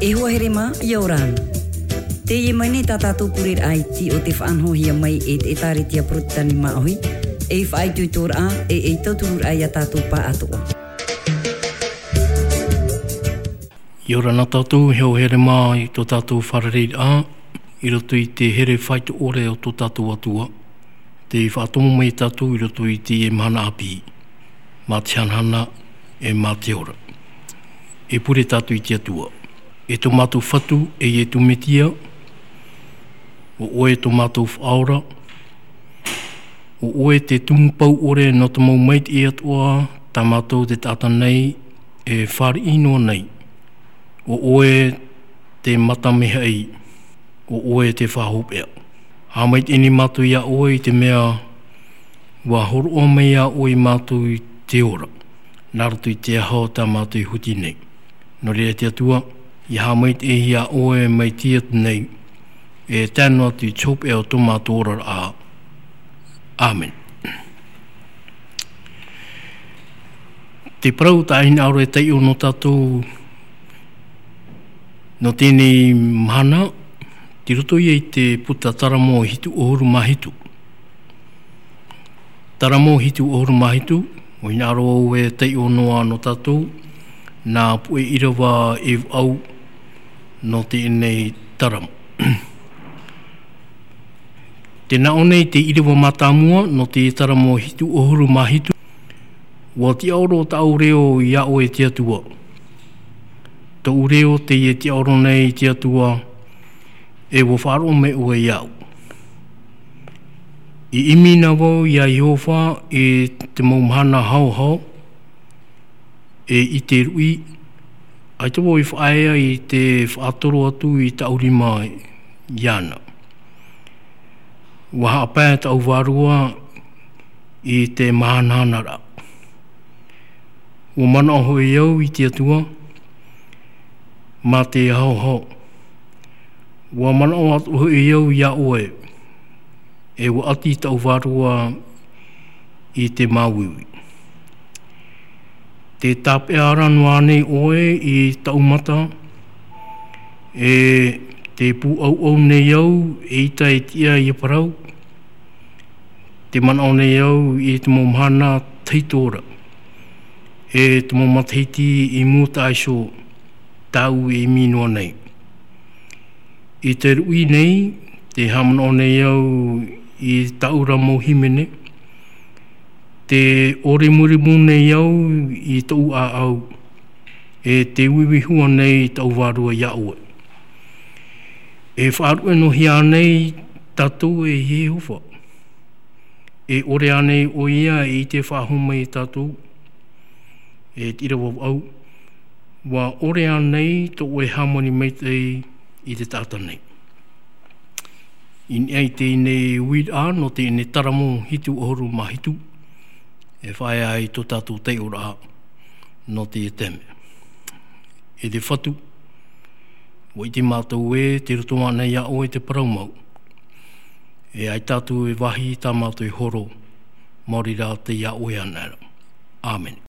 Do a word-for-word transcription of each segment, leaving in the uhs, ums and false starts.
E hoa here mā, ʻia ora na. Teie mai nei tā tātou pureraʻa iti o te faʻanahohia mai e te ʻĒtārētia Porotetani Māʻohi, ei faʻaitoitoraʻa, e ei tautururaʻa ia tātou pāʻatoʻa. ʻIa ora na tātou, e hoa here mā i tō tātou fārereiraʻa, i roto i te here faito ʻore o tō tātou Atua, tei faʻatomo mai tātou i roto i teie mahana ʻāpī, mā te hanahana, e mā te ora. E pure tātou i te Atua. E tō mātou Fatu, e Ietu Metia, ʻo ʻoe tō mātou Faʻaora, ʻo ʻoe te tumu pau ʻore nō te mau maitaʻi atoʻa, tā mātou te taʻata nei, e fāriʻi noa nei. ʻO ʻoe te mata mehaʻi, ʻo ʻoe te faʻahopeʻa. Haʻamaitaʻi nei mātou iā ʻoe i te mea, ʻua hōroʻa mai iā ʻoe iā mātou i te ora, nā roto i te aho tā mātou i huti nei. Nō reira te Atua, ʻia haʻamaitaʻi iā ʻoe mai te atu nei, e tae noa atu i te hopeʻa o tō mātou oraraʻa. ʻĀmene. Te parau tā ʻoe hinaʻaro e taiʻo nō tātou, nō teie mahana, tei roto ia i te puta Taramo hitu ʻahuru mā hitu. Taramo hitu ʻahuru mā hitu, ʻua hinaʻaro au e taiʻo noa nō tātou, nā puʻe ʻīrava e vaʻu nō teie Taramo. Tē nā ʻō nei te ʻīrava mātāmua nō te Taramo hitu ʻahuru mā hitu, ʻUa tiʻaoro tāʻu reo iā ʻoe te Atua. Tōʻu reo teie e tiʻaoro nei te Atua, e ʻua faʻaroʻo mai ʻoe iāʻu. I ʻimi na vau iā Iehova i te mau mahana haohao, e i te ruʻi, ʻaita vau i faʻaea i te faʻatoro atu i tāʻu rima iāna. ʻUa haʻapae tāʻu vārua i te mahanahanaraʻa. ʻUa manaʻo hoʻi au i te Atua, mā te haohao. ʻUa manaʻo atoʻa hoʻi au iā ʻoe, e ʻua ʻati tāʻu vārua i te māuiui. Tē tāpeʻa ra noa nei ʻoe i tāʻu mata, e tē pūʻauʻau nei au, eʻita e tiʻa ʻia parau, tē manaʻo nei au i te mau mahana tahito ra, e te mau matahiti i mua taʻa iho tāʻu e ʻimi noa nei. I te ruʻi nei, tē haʻamanaʻo nei au i tāʻu ra mau hīmene, tē ʻōrimurimu nei au i tōʻu ʻāʻau, e tē uiui hua nei tāʻu vārua iā ʻoe. E faʻaruʻe noa hia nei tātou e Iehova. E ʻore ānei ʻoia e ʻite faʻahou mai iā tātou, e te ʻīrava vaʻu, ʻua ʻore ānei tō ʻoe hāmani maitaʻi i te taʻata nei. I niʻa i teie uiraʻa nō teie Taramo hitu ʻahuru mā hitu, e faʻaea ai tō tātou taiʻoraʻa nō teie taime. E te Fatu, ʻua ʻite mātou ē, tei roto anaʻe iā ʻoe te parau mau. E ʻaita atu e vāhi tā mātou e horo, maori rā tei iā ʻoe anaʻe ra. ʻĀmene.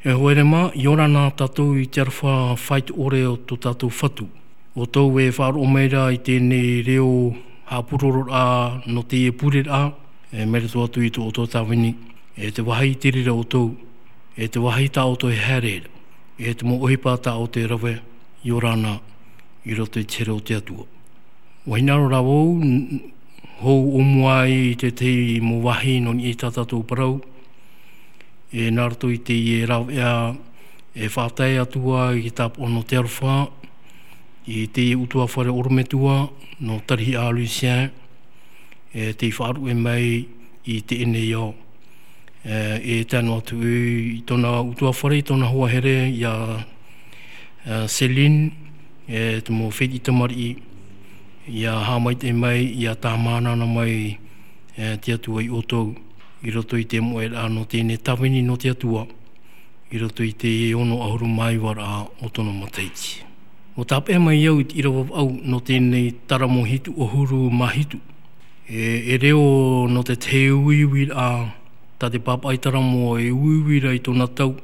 E hoa here mā, ʻia ora na tātou i te aroha faʻaitoito o tō tātou Fatu. ʻO tō e faʻaroʻo mai ra i teie reo haʻapurororaʻa nō teie pureraʻa, e, mai roto atu i tō ʻoutou tāvini, e te vāhi i te reira ʻoutou, e te vāhi tā ʻoutou e haere ra, e te mau ʻohipa tā ʻoutou e rave, ʻia ora na i roto i te here o te Atua. ʻUa hinaʻaro rā vau, n-, hou ʻōmua ai i te tahi mau vāhi nō niʻa i tā tātou parau, e nā roto i teie rāveʻa, e faʻatae atu ā i te tāpaʻo nō te aroha, i teie ʻutuāfare ʻorometua, nō Tarihiʻa Lucien, e tei faʻaruʻe mai i teie nei ao. E, e tae noa atu i tōna ʻutuāfare, i tōna hoa here, iā, e, Céline, e te mau fētiʻi tamariʻi, ʻia haʻamaitaʻi mai, ʻia tāmānana mai, e, te Atua ia ʻoutou, i roto i te moʻeraʻa nō teie tāvini nō te Atua, i roto i te ono ʻahuru mā iva raʻa o tōna matahiti. ʻUa tāpeʻa mai au i te ʻīrava vaʻu nō teie taramo hitu ʻahuru mā hitu. E, e reo nō te tahi uiuiraʻa, tā te pāpaʻi taramo e uiui ra i tōna tau,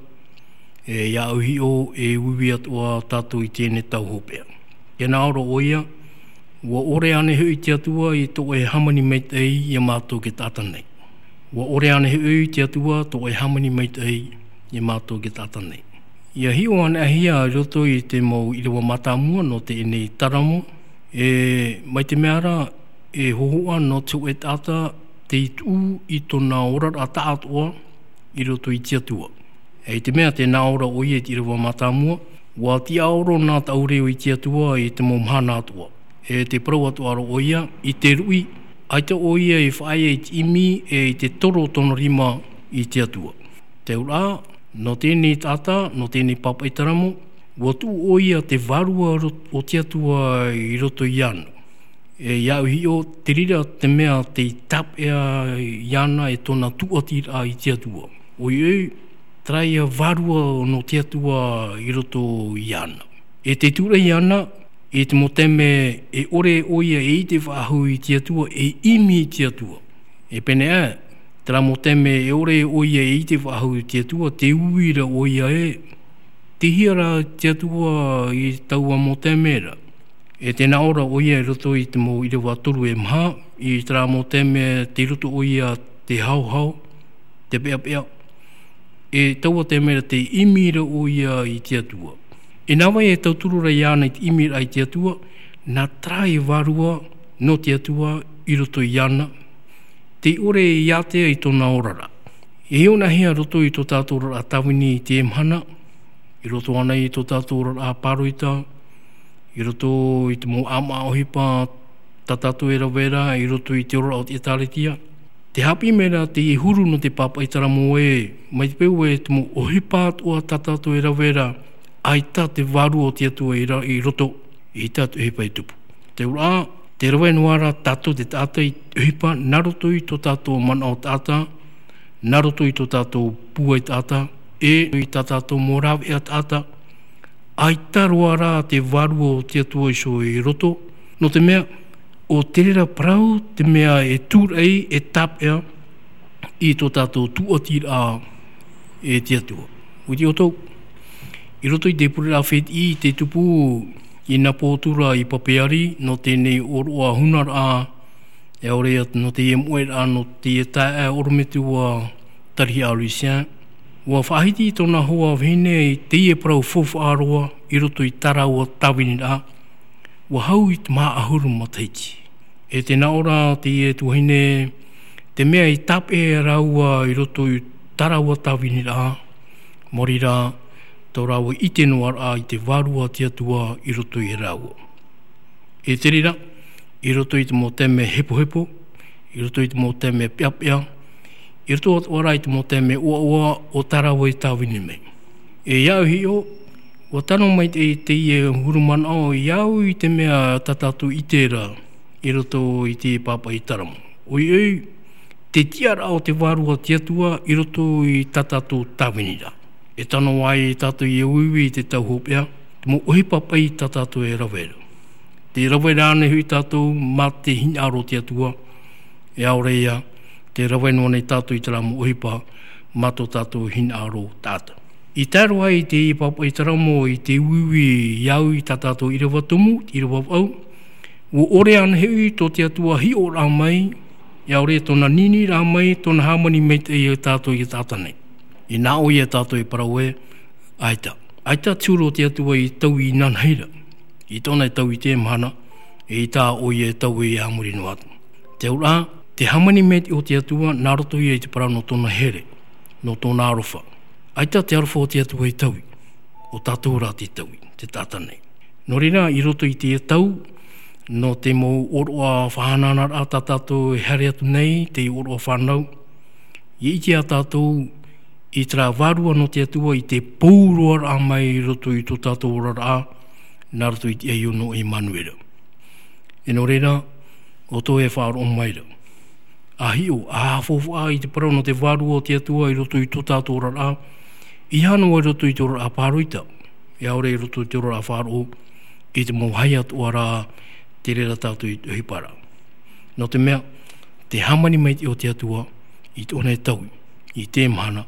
e, ʻia au hiʻo, e uiui atoʻa tātou i teie tau hopeʻa. E nā ʻō ra ʻoia, ʻua ʻore ānei hoʻi te Atua i tō ʻoe hāmani maitaʻi ia mātou e taʻata nei. ʻUa ʻore ānei hoʻi te Atua tō ʻoe hāmani maitaʻi ia mātou e taʻata nei. ʻIa hiʻo anaʻe hia i roto i te mau ʻīrava mātāmua nō teie taramo, e, mai te mea ra, e hōhoʻa nō te hōʻē taʻata tei tuʻu i tōna oraraʻa taʻatoʻa i roto i te Atua. E i te mea tē nā ʻō ra ʻoia i te ʻīrava mātāmua, ʻua tiʻaoro nā tāʻu reo i te Atua i te mau mahana atoʻa. E tē parau atoʻa ra ʻoia, i te ruʻi, ʻaita ʻoia i faʻaea i te ʻimi, e i te toro tōna rima i te Atua. Te auraʻa, nō teie taʻata, nō teie pāpaʻi taramo, ʻua tuʻu ʻoia te vārua ro-, o te Atua i roto iāna. E ʻia au hiʻo, te reira te mea tei tāpeʻa iāna e tōna tūʻatiraʻa i te Atua. ʻOiʻoi, terā ia vārua nō te Atua i roto iāna. E tē tūraʻi iāna, i te mau taime e ʻore ʻoia e ʻite faʻahou i te Atua, e ʻimi i te Atua. E pēneiaʻe, terā mau taime e ʻore ʻoia e ʻite faʻahou i te Atua, tē ui ra ʻoia ē, tei hea rā te Atua i taua mau taime ra. E tē nā ʻō ra ʻoia i roto i te mau ʻīrava toru e maha, i terā mau taime tei roto ʻoia te haohao, te peʻapeʻa, e taua taime ra tē ʻimi ra ʻoia i te Atua. E nā vai e tauturu ra iāna i te ʻimiraʻa i te Atua, nā terā e vārua nō te Atua i roto iāna, tē ʻore e ātea i tōna oraraʻa. E hiʻo anaʻe hia i roto i tō tātou oraraʻa tāvini i teie mahana, i roto ānei i tō tātou oraraʻa pāroita, i roto i te mau ʻāmaʻa ʻohipa tā tātou e rave ra, i roto i te oraraʻa o te ʻĒtārētia. Tē haʻapiʻi mai ra teie huru nō te pāpaʻi taramo ē, mai te peu ē te mau ʻohipa atoʻa tā tātou e rave ra, ʻaita te vārua o te Atua i ra-, i roto, ʻeita te ʻohipa i tupu. Te auraʻa, tē rave noa ra tātou te taʻata i te ʻohipa nā roto i tō tātou manaʻo taʻata, nā roto i tō tātou pūai taʻata, e i tā tātou mau rāveʻa taʻata, ʻaita roa rā te vārua o te Atua iho i roto, nō te mea, ʻo te reira parau te mea e tūraʻi, e tāpeʻa i tō tātou tūʻatiraʻa e te Atua. ʻUa ʻite ʻoutou, i roto i te pureraʻa fētiʻi tei tupu i nā pō atu ra i Papeari, nō teie ʻōroʻa hunaraʻa, e ʻaore ia nō teie moʻeraʻa, nō teie taeaʻe ʻorometua Tarihiʻa Lucien, ʻua faʻahiti tōna hoa vahine i teie parau faufaʻa roa i roto i tā rāua tāviniraʻa, ʻua hau i te maha ʻahuru matahiti. E tē nā ʻō ra teie tuahine, te mea i tāpeʻa rāua i roto i tā rāua tāviniraʻa, maori rā, tō rāua ʻite noa raʻa i te vārua o te Atua i roto ia rāua. E te reira, i roto i te mau taime hepohepo, i roto i te mau taime peʻapeʻa, i roto atoʻa rā i te mau taime ʻoaʻoa o tā rāua i tāvini mai. E ʻia au hiʻo, ʻua tano mai te, teie huru manaʻo ʻia au i te mea tā tātou ʻite ra i roto i te pāpaʻi taramo. ʻOiʻoi, te tiʻaraʻa o te vārua o te Atua i roto i tā tātou tāviniraʻa. E tano ai tātou ʻia uiui i te tau hopeʻa, te mau ʻohipa paʻi tā tātou e rave ra. Tē rave ra ānei hoʻi tātou mā te hinaʻaro o te Atua, e ʻaore ia, tē rave noa nei tātou i terā mau ʻohipa mā tō tātou hinaʻaro taʻata. I tae roa i te pāpaʻi taramo i te uiui i au i tā tātou ʻīrava tumu, ʻīrava vaʻu, ʻua ʻore ana hoʻi tō te Atua hiʻoraʻa mai, ʻia ʻore tōna niniʻiraʻa mai, tōna hāmani maitaʻi ia tātou i taʻata nei. Inā ʻoia tātou e parau ē, ʻaita. ʻAita te huru o te Atua i taui inanahi ra. I tōna e taui i te mahana, e i tā ʻoia e taui a muri noa atu. Te auraʻa, te hāmani maitaʻi o te Atua, nā roto ia i te parau nō tōna here, nō tōna aroha. ʻAita te aroha o te Atua i taui, ʻo tātou rā te taui, te taʻata nei. Nō reira, i roto i te tau, nō te mau ʻōroʻa faʻahanahanaraʻa tā tātou e haere atu nei, te ʻōroʻa fānau, ʻia ʻite ā tātou i terā vārua nō te Atua i te pou roa raʻa mai i roto i tō tātou oraraʻa, nā roto i te ʻaiʻo nō ʻImanuera. E nō reira, ʻo tō e faʻaroʻo mai ra. ʻA hiʻo, ʻa faufaʻa i te parau nō te vārua o te Atua i roto i tō tātou oraraʻa, ʻeiaha noa i roto i te oraraʻa pāroita, ʻia ʻore i roto i te oraraʻa faʻaroʻo, i te mau haʻapiʻiraʻa, te reira tātou i te ʻohipa ra. Nō te mea, te hāmani maitaʻi o te Atua, i tōna e taui, i te mahana,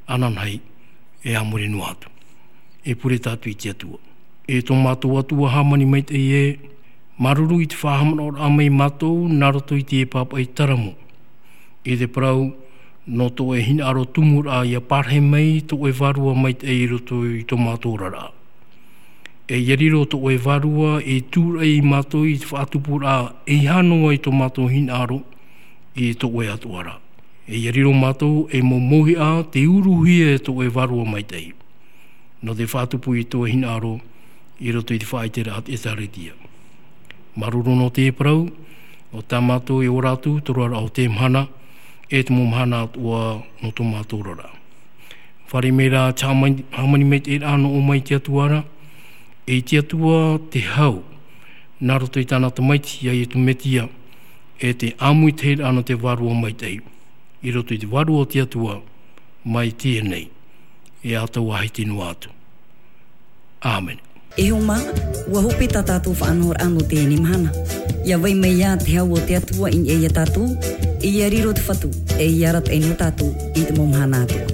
ananahi, e a muri noa atu. E pure tātou i te Atua. E tō mātou Atua hāmani maitaʻi ē, māuruuru i te faʻahaʻamanaʻoraʻa mai mātou, nā roto i te pāpaʻi taramo. I te parau, nō tō ʻoe hinaʻaro tumu raʻa ʻia parahi mai tō ʻoe vārua maitaʻi i roto i tō mātou oraraʻa. E ʻia riro tō ʻoe vārua e tūraʻi ia mātou i te faʻatupuraʻa ʻeiaha noa i tō mātou hinaʻaro i tō ʻoe atoʻa ra. E ʻia riro mātou ei mau mauhaʻa tei uruhia e tō ʻoe vārua maitaʻi. Nō te faʻatupu i tō ʻoe hinaʻaro i roto i te faʻaʻiteraʻa a te ʻĒtārētia. Māuruuru nō te parau, ʻo tā mātou e ora atu, te oraraʻa o te mahana, e te mau mahana atoʻa nō tō mātou oraraʻa. Fāriʻi mai rā te hāmani, hāmani maitaʻiraʻa nō ʻō mai te Atua ra, e te Atua te hau, nā roto i tāna tamaiti a Iesu Mesia, e te ʻāmuitahiraʻa nō te vārua maitaʻi, i roto i te vārua o te Atua, mai teie nei, e atoʻa hiti noa atu. ʻĀmene. E hoa mā, ʻua hope tā tātou faʻanahoraʻa nō teie mahana. ʻIa vai mai ā te hau o te Atua i niʻa ia tātou, e ʻia riro te Fatu, e ʻia arataʻi nō tātou i te mau mahana atoʻa.